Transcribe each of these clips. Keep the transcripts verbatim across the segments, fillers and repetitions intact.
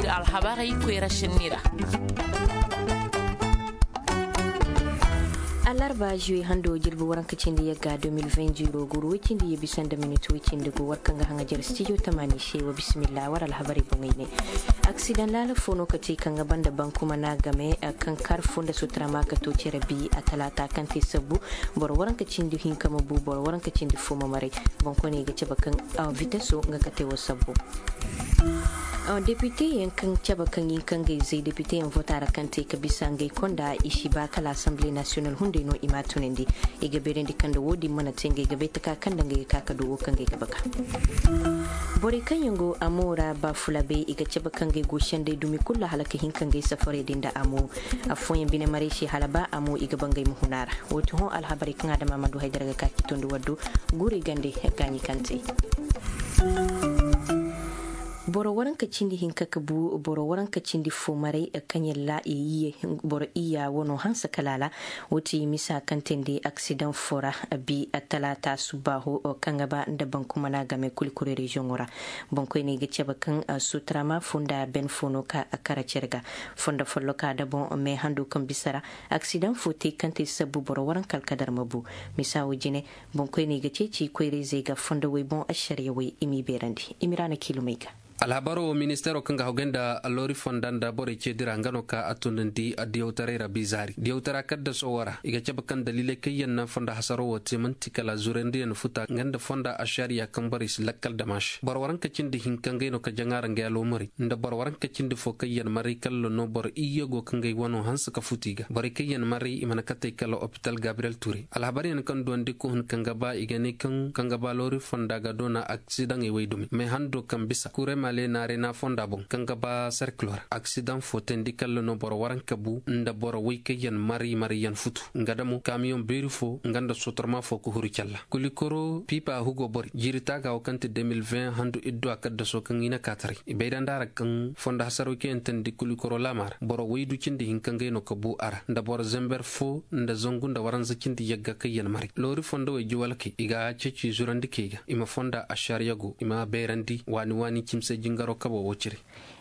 Alhabarey koyra sinni ra. Alarba juwe hando jirbi waranka cindi yagga deux mille vingt ziro guru way cindi ye bisa nda minit way cindi go war kaŋ ga haŋajar studio tamani se wa bismillah war alhabarey boŋey ne. Aksidan laala fo no ka te kaŋ ga banda bankuma na game kaŋ kar fo nda sutura ma ka to cere bi a talata kaŋ te sabbu boro waranka cindi hinka ma bu boro waranka cindi fo ma maray. Boŋkoyne ga cabe kaŋ viteso nga ka te wo sabbu. Depute yaŋ kaŋ cabe kaŋ yin kaŋ ga izey depute yaŋ vota ra kaŋ te ka bisa ngey konda i si ba kala assemble national hunday no i ma tunandi. I ga beerandi kaŋ da wo- din mana te ngey ga bay taka kaŋ da ngey ga ka ka du wo kaŋ ngey ga baka. Borey kaŋ yaŋ go amo ra ba fula bay i ga cabe kaŋ ngey go senday dumi kulu hala ka hin kaŋ ngey safarey din da amo. Afooyaŋ bine maray se hala ba amo i ga ba ngey ma huna ra. Wo- ti hõ alhabarey kaŋ adama ma du haydara ga ka ki tondi waddo. Guurey gande gaaɲi kaŋ te. Boro waranka cindi hinka ka bu boro waranka cindi fo maray kaŋ yalla boro iyya wano hanse kala ra. Wo- ti misa kaŋ te nda aksidaŋ fo ra bi talaata subbaaho kaŋ ga ba nda bankumana game kulikuri reziyoŋo ra. Boŋkoyney ga cabe kaŋ sutrama fo nda ben fo no ka kara care ga. Fondo folloka da boŋ me hando kaŋ bisa ra aksidaŋ fo te kaŋ te sabbu boro waranka alkadar ma bu. Misa wo jine boŋkoyney ga ceeci koyrayzey ga fondowey boŋ ašariya wey i m'i beerandi i ma i ra na kiilumey ga. Alhabaro wo ministeero kaŋ ga hawgay nda loori fonda nda borey ceedira nga no ka a tunandi diyawtaray ra bizaari diyawtara kaddaso wo ra i ga cabe kaŋ daliiley kaŋ yaŋ na fonda hasaro wo te manti kala zurandiyaŋ futa nga nda fonda ašariya kaŋ borey si lakkal dama se boro waranka cindi hinka ngey no ka jaŋa ra ngey aloomari nda boro waranka cindi fo kaŋ yaŋ maray kalla no boro iyye go ka ngey wano hanse ka futu i ga borey kaŋ yaŋ maray i mana katey kala opital gabriyel ture alhabaryaŋ kaŋ duwandi ka hun kaŋ ga ba i ga ne kaŋ kaŋ ga ba loori fonda ga doona aksidaŋey way dumi may hando kaŋ bisa kure male naarena fonda boŋ kaŋ ga ba serkilo ra aksidaŋ fo teendi kalla no boro waranka bu nda boro way kaŋ yaŋ mari mari yaŋ futu nga damo kamiyoŋ beeri fo nga nda sotorma fo ka huru calla kulikoro piipa hugo bori jiiri taaga wo kaŋ ti deux mille vingt handu iddu a kaddaso kaŋ i na kaataray i bayrandi a ra kaŋ fondo hasaro kaŋ yaŋ teendi kulikoro laama ra boro waydu cindi hinka ngey no ka bu a ra nda boro zember fo nda zangu nda waranza cindi yagga kaŋ yaŋ mari loori fondo way jiwalkey i ga ceeci zurandi key ga i ma fonda ašariya go i ma beerandi waani waani cimse jingaro kabo wo cire.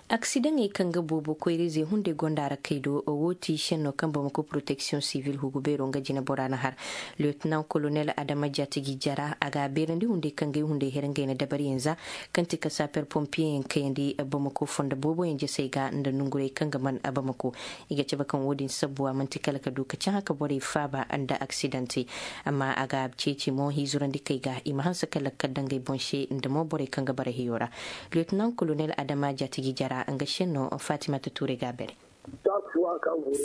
Aksidaŋey kaŋ ga boobo koyrayzey hunday gonda ra kay do wo ti senno kaŋ bamako protection civil hugu beero nga jine bora na har. Lieutenant colonel adama jaatigi jara a ga a beerandi hunday kaŋ gay hunday here ngey na dabariyaŋ za kaŋ ti ka saper pompiyeyaŋ kayandi bamako fondo booboyaŋ jasey ga nda nongurey kaŋ ga man bamako. I ga cabe kaŋ wo- din sabbuwa manti kala ka du ka cahã ka borey faaba nda aksidante. Amma a ga ceeci mo hizurandi kay ga i ma hanse ka lakkal dangey boŋ se nda mo borey kaŋ ga bara hiyo ra. Lieutenant colonel adama jaatigi jara nga senno fatimata tuure ga a bare.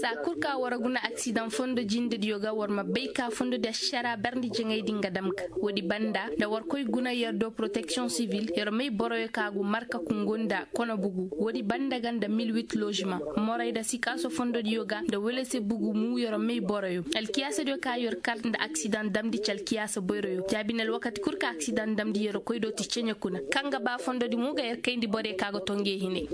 Saa kulu ka war guna aksidaŋ fondo jindediyo ga war ma bay ka fondo di ašara barndi jaŋay din ga dam ga wo- di banda nda war koy guna yer do protection civil yer may boroyo ka go marka kungo nda kono bugu wo- di banda ga nda mil huit logement moray da sikaaso fondo diyo ga nda wele se bugu mu yer may boroyo alkiyaasa diyo ka yer kar nda aksidaŋ damndi ci alkiyaasa boyroyo jaabine alwakati kulu ka aksidaŋ damndi yer koy do ti ceɲe kuna kaŋ ga ba fondo di mo ga yer kayndi borey ka ga tonge hine.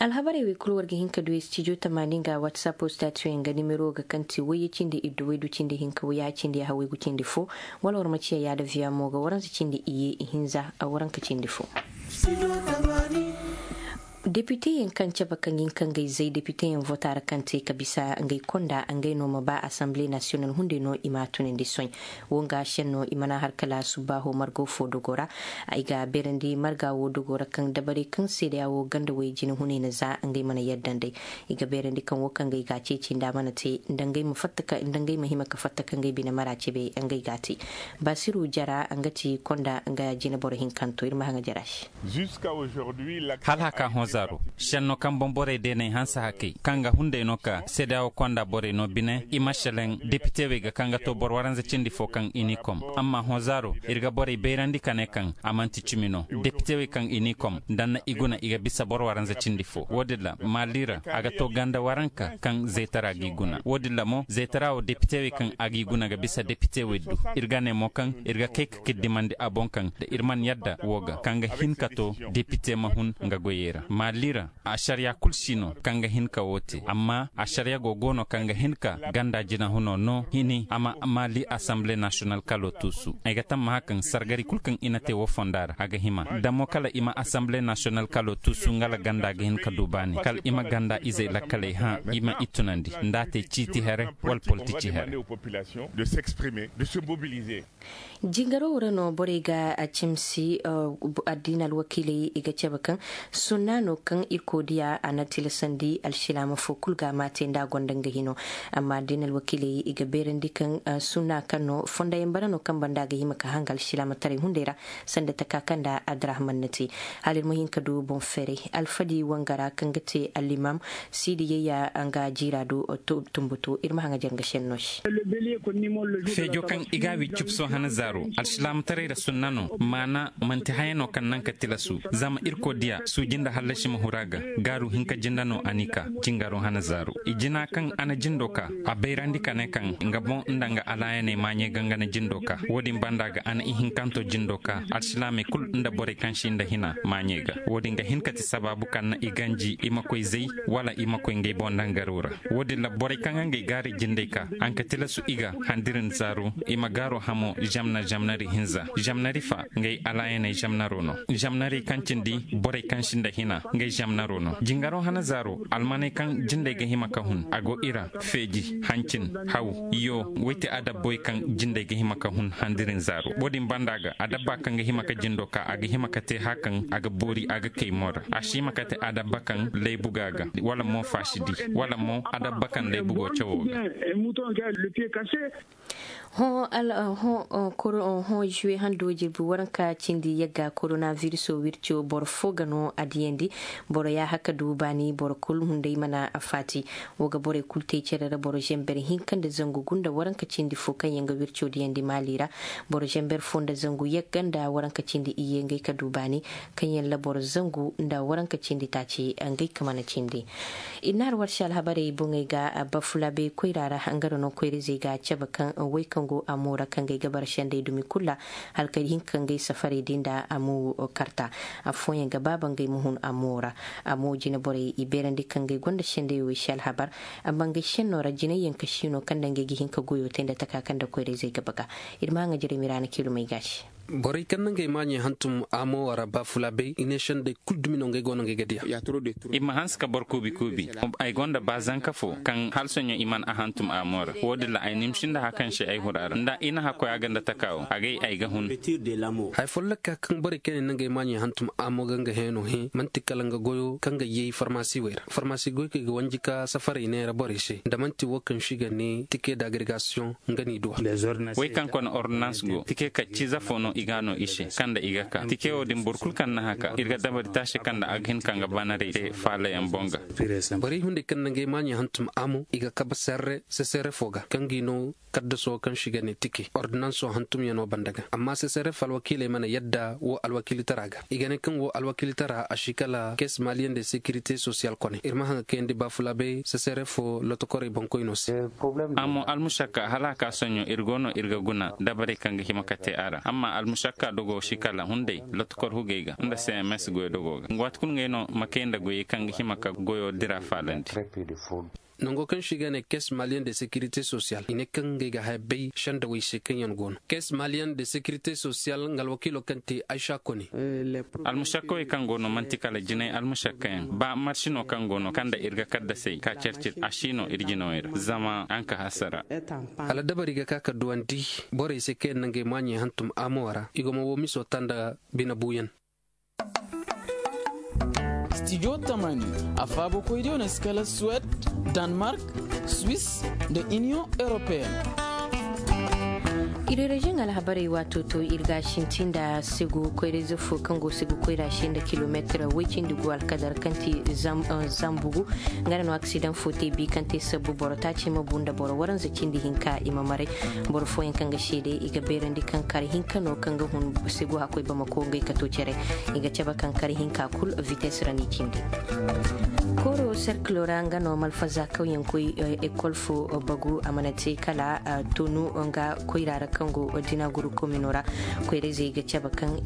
Alhabarey wey kulu war ga hin ka du studio tamaani nga whatsapp statuyaŋ ga nimero ga kaŋ ti wayye cindi iddu waydu cindi hinka wayya cindi yaha waygu cindi fo. Wala war ma ciya yaada viya mo ga waranza cindi iyye ihinza a waranka cindi fo. Depiteyaŋ kaŋ cabe kaŋ yin kaŋ gay zay depiteyaŋ vota ra kaŋ te ka bisa ngey konda ngey no ma ba assemble national hunday no i ma tunandi soy. Wo nga senno i mana har kala subbaaho margo fo dogo ra. Ay ga beerandi marga wo dogo ra kaŋ dabarey kaŋ seedeya wo ganda way jine hunay na za ngey mana yadda nd'ey. I ga beerandi kaŋ wo kaŋ ngey ga a ceeci nda a mana te nda ngey ma fatta ka nda ngey ma hima ka fatta ka ngey bine mara cebe ngey ga a te. Basiru jara nga ti konda nga jine boro hinkanto iri ma haŋa jara se. Hala haka hõ zaaro senno kaŋ boŋ borey deeney hanse hakey kaŋ ga hunday no ka seedeya wo konda borey no bine i ma selaŋ depitewey ga kaŋ ga to boro waranza cindi fo kaŋ i n'i kom. Amma hõ zaaro iri ga borey bayrandi ka ne kaŋ a manti cimi no depitewey kaŋ i n'i kom danna i guna i ga bisa boro waranza cindi fo wo- din ra maali ra a ga to ganda waranka kaŋ zeetara g'i guna wo- din ra mo zeetara wo depitewey kaŋ a g'i guna ga bisa depitewey du. Iri ga ne mo kaŋ iri ga kay ka kiddimandi a boŋ kaŋ da iri mana yadda wo ga kaŋ ga hin ka to depite ma hun nga goyey ra. Lira, asariya kulu si no kaŋ ga hin ka wo te, amma asariya go go no kaŋ ga hin ka ganda jinahuno no hini a ma maali asamble nasiyonal kalo tuusu. Ay ga tammaha kaŋ sargari kulu kaŋ i na te wo fonda ra a ga hima damo kala i ma asamble nasiyonal kalo tuusu nga la ganda ga hin ka du baani kala i ma ganda izey lakkaley hã i ma i tunandi nda a te ciiti here wala politici here. De s'exprimer, de se mobiliser. Jingaro wo ra no borey ga a cimsi. Addiina alwakiiley i ga cabe kaŋ sunna no kaŋ irkoy diya a na tilasandi alsilaama fo kulu ga a ma te nda a gonda nga hino. Amma addiina alwakiiley i ga beerandi kaŋ sunna kaŋ no fondayaŋ bara no kaŋ banda a ga hima ka hanga alsilaama taray hunday ra sanda taka kaŋ nda addirahman na te. Hala iri ma hin ka du boŋ feeray alfadi wangara kaŋ ga te allimam siidi yayya nga jiira do. Tumbutu iri ma haŋa jare nga senno se. Feejo kaŋ i ga a wi cupso hana zaaro alsilaamataray ra sunna no maana manti haya no kaŋ naŋ ka tilasu. Zama irkoy diya suuji nda hallasi ma huru a ga gaaru hinka jinda no a n'i ka jingaro hana zaaro i jina kaŋ a na jindo ka a bayrandi ka ne kaŋ nga boŋ nda nga alaayaney maaɲey ga nga na jindo ka wo-din banda ga a na ihinkanto jindo ka alsilaamey kulu nda borey kaŋ si nda hina maaɲey ga wo-din ga hin ka ti sabaabu kaŋ na i ganji i ma koy zay wala i ma koy ngey boŋ dangaro ra. Wo-din ra borey kaŋ ga ngey gaari jindey ka a ga tilasu i ga handiri nda zaaro i ma gaaro hamo zamna zamnari hinza zamnari fa ngey alaayaney zamnaro no. Zamnari kaŋ cindi borey kaŋ si nda hina ngey zamnaro no jingaro hana zaaro almaney kaŋ jindey ga hima ka hun a go i ra feeji hancin haw yo way te adabboy kaŋ jindey ga hima ka hun handiri nda zaaro wo-din banda ga adabba kaŋ ga hima ka jindo ka a ga hima ka te hã kaŋ a ga boori a ga kay mo ra a si hima ka te adabba kaŋ laybu ga a ga wala mo faasidi wala mo adabba kaŋ laybu go cawo ga. Hõ juwe hando jirbi waranka cindi yagga korona viriso wirco boro fo ga no a diyandi. Boro yaaha ka du baani boro kulu hunday mana a faati. Wo ga borey kulu te care ra boro zember hinka nda zangu gunda waranka cindi fo kaŋ yaŋ ga wirco diyandi maali ra. Boro zember fo nda zangu yagga nda waranka cindi iyye ngey ka du baani kaŋ yaŋ ra boro zangu nda waranka cindi taaci ngey ka mana cindi. Iri na hari warsi alhabarey boŋey ga bafulaabey koyra ra hangara no koyra-izey ga cabe kaŋ way kaŋ go a mo ra kaŋ ga ay ga bara sendey dumi kulu ra hala kay hinka kaŋ ga ay safarey di nda a mo karta. Afooyaŋ ga baaba ngey ma hun a mo ra. A mo jine borey i beerandi kaŋ ga ay gonda sendey wo ay si alhabar. Amma ngey senno ra jinay yaŋ ka si no kaŋ nda ngey ga hin ka goyo te nda taka kaŋ nda koyra-izey ga baga. Iri ma haŋa jiray miraana kiilumey ga se. Borey kaŋ na ngey maaɲey hantum amo wara baafulaabey i ne sendey kulu dumi no ngey go no ngey ga diya. I ma hanse ka boro kuubi kuubi. Ay gonda ba zanka fo kaŋ hala soɲo i mana a hantum amo ra wo- din ra ay nimsi nda hakaŋ se ay huru a ra nda i na hakkoy a ga nda taka wo a gay ay ga hun. Haya folloka kaŋ borey kaŋ yaŋ na ngey maaɲey hantum amo ga nga hẽeno hẽ manti kala nga goyo kaŋ ga yay farmasi wey ra farmasi goykey ga wanji ka safarey neera borey se nda manti wo kaŋ si ga ne tike d'agregasiyoŋ. Nga n'i duwa. Wey kaŋ kone ordonans go tike kacciize fo no i ga no i se kaŋ nda i ga ka tike wo din boro kulu kaŋ na haka iri ga dabari taasi kaŋ nda a ga hin ka nga banarey te faalayaŋ boŋ ga. Borey hunday kaŋ na ngey maaɲey hantum amo i ga kabe serre sesere fo ga kaŋ g'i no kaddaso kaŋ si ga ne tike ordonanso hantumyaŋo banda ga amma sesere fo alwakiiley mana yadda wo alwakiilitara ga i ga ne kaŋ wo alwakiilitara a si kala caisse malienne de sécurité sociale kone iri ma haŋa kayandi baafulaabey sesere fo lotokorey boŋkoyno se. Amma almusakka hala a ka soɲo iri go no iri ga guna dabarey kaŋ ga hima ka te a ra amma almusakka dogo si kala hunday lotokor hugey ga nda cms goy dogo ga waati kulu ngey no ma kay nda goyey kaŋ ga hima ka goyo dira faalandi. Nango kaŋ se i ga ne caisse malienne de sécurité sociale i ne kaŋ ngey ga haya bay sendawey se kaŋ yaŋ go no caisse malienne de sécurité sociale nga alwakiilo kaŋ te aysa kone. Almusakkawey kaŋ go no manti kala jinay almusakkayaŋ ba marsi no kaŋ go no kaŋ nda iri ga kaddasey ka care-care a si no iri jinawey ra zama a nga ka hasara. Hala dabari ga ka ka duwandi borey se kaŋ yaŋ na ngey maaɲey hantum amo ra i go ma wo miso ta nda bine buuyaŋ. Studio tamani a faabo koydiyo no si kala suwed, danmark, swiss, nda iniyoŋ europeen. Iri reziyoŋ alhabarey waato to iri ga a sinti nda segu koyra-ize fo kaŋ go segu koyra se nda kilomeetir way-cindi gu alkadar kaŋ ti zambugu. Nga ra no aksidaŋ fo te bi kaŋ te sabbu boro taaci ma bu nda boro waranza cindi hinka i ma maray. Boro fooyaŋ kaŋ ga seede i ga beerandi kaŋ kar hinka no kaŋ ga hun segu hakkoy bamako ngey kato care. I ga cabe kaŋ kar hinka kulu vites ra n'i cindi. Kooro Serkilo ra nga no malfaza kaw yaŋ koy ekol fo bagu a mana te kala tonu nga koyra ra kaŋ go dina guru komino ra. Koyra izey ga cabe kaŋ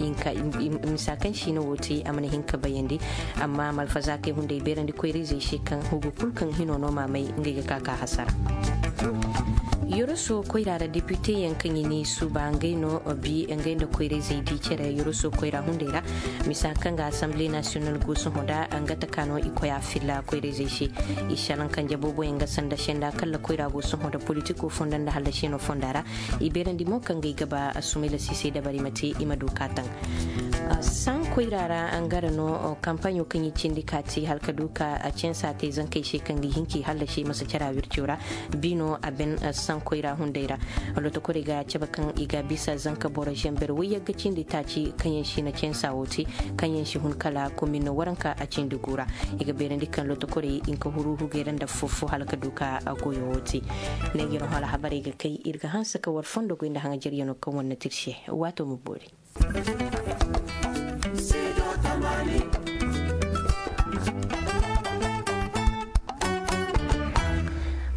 misa kaŋ siino wo te a mana hin ka bayandi. Amma malfaza kay hunday beerandi koyra izey se kaŋ hugu kulu kaŋ hino no maamay ngey ga ka ka hasara. Yoroso koyra ra depite yaŋ kaŋ i ni suuba ngey no bi ngey nda koyra izey di care yoroso koyra hunday ra. Misa kaŋ ga asamble nasiyonal go sohõ da nga taka no i koy a filla koyra izey se. I salaŋ kanje boobo yaŋ ga sanda senda kalla koyra go sohõ da politiko fonda nda hallasi no fonda ra. I beerandi mo kaŋ ga ay ga ba a sumayla siisay dabari ma te i ma du ka taŋ. Saŋ koyra ra nga ra no kampaɲo kaŋ i cindi ka te hala ka du ka censa te zankey se kaŋ ga i hin ka i hallasi masa cara wirco ra. Bino a ben saŋ koyra hunday ra. Lotokorey ga cabe kaŋ i ga bisa zanka boro zamber wayyagga cindi taaci kaŋ yaŋ si na censa wo te kaŋ yaŋ si hun kala komin waranka a cindi gu ra. I ga beerandi kaŋ lotokorey hinka huru hugey ra nda fofo hala ka du ka goyo wo te. Neeji no hala habarey ga kay iri ga hanse ka war fondo goy nda haŋajaryaŋo kaŋ war na te iri se. Waato ma boori. Studio Tamani.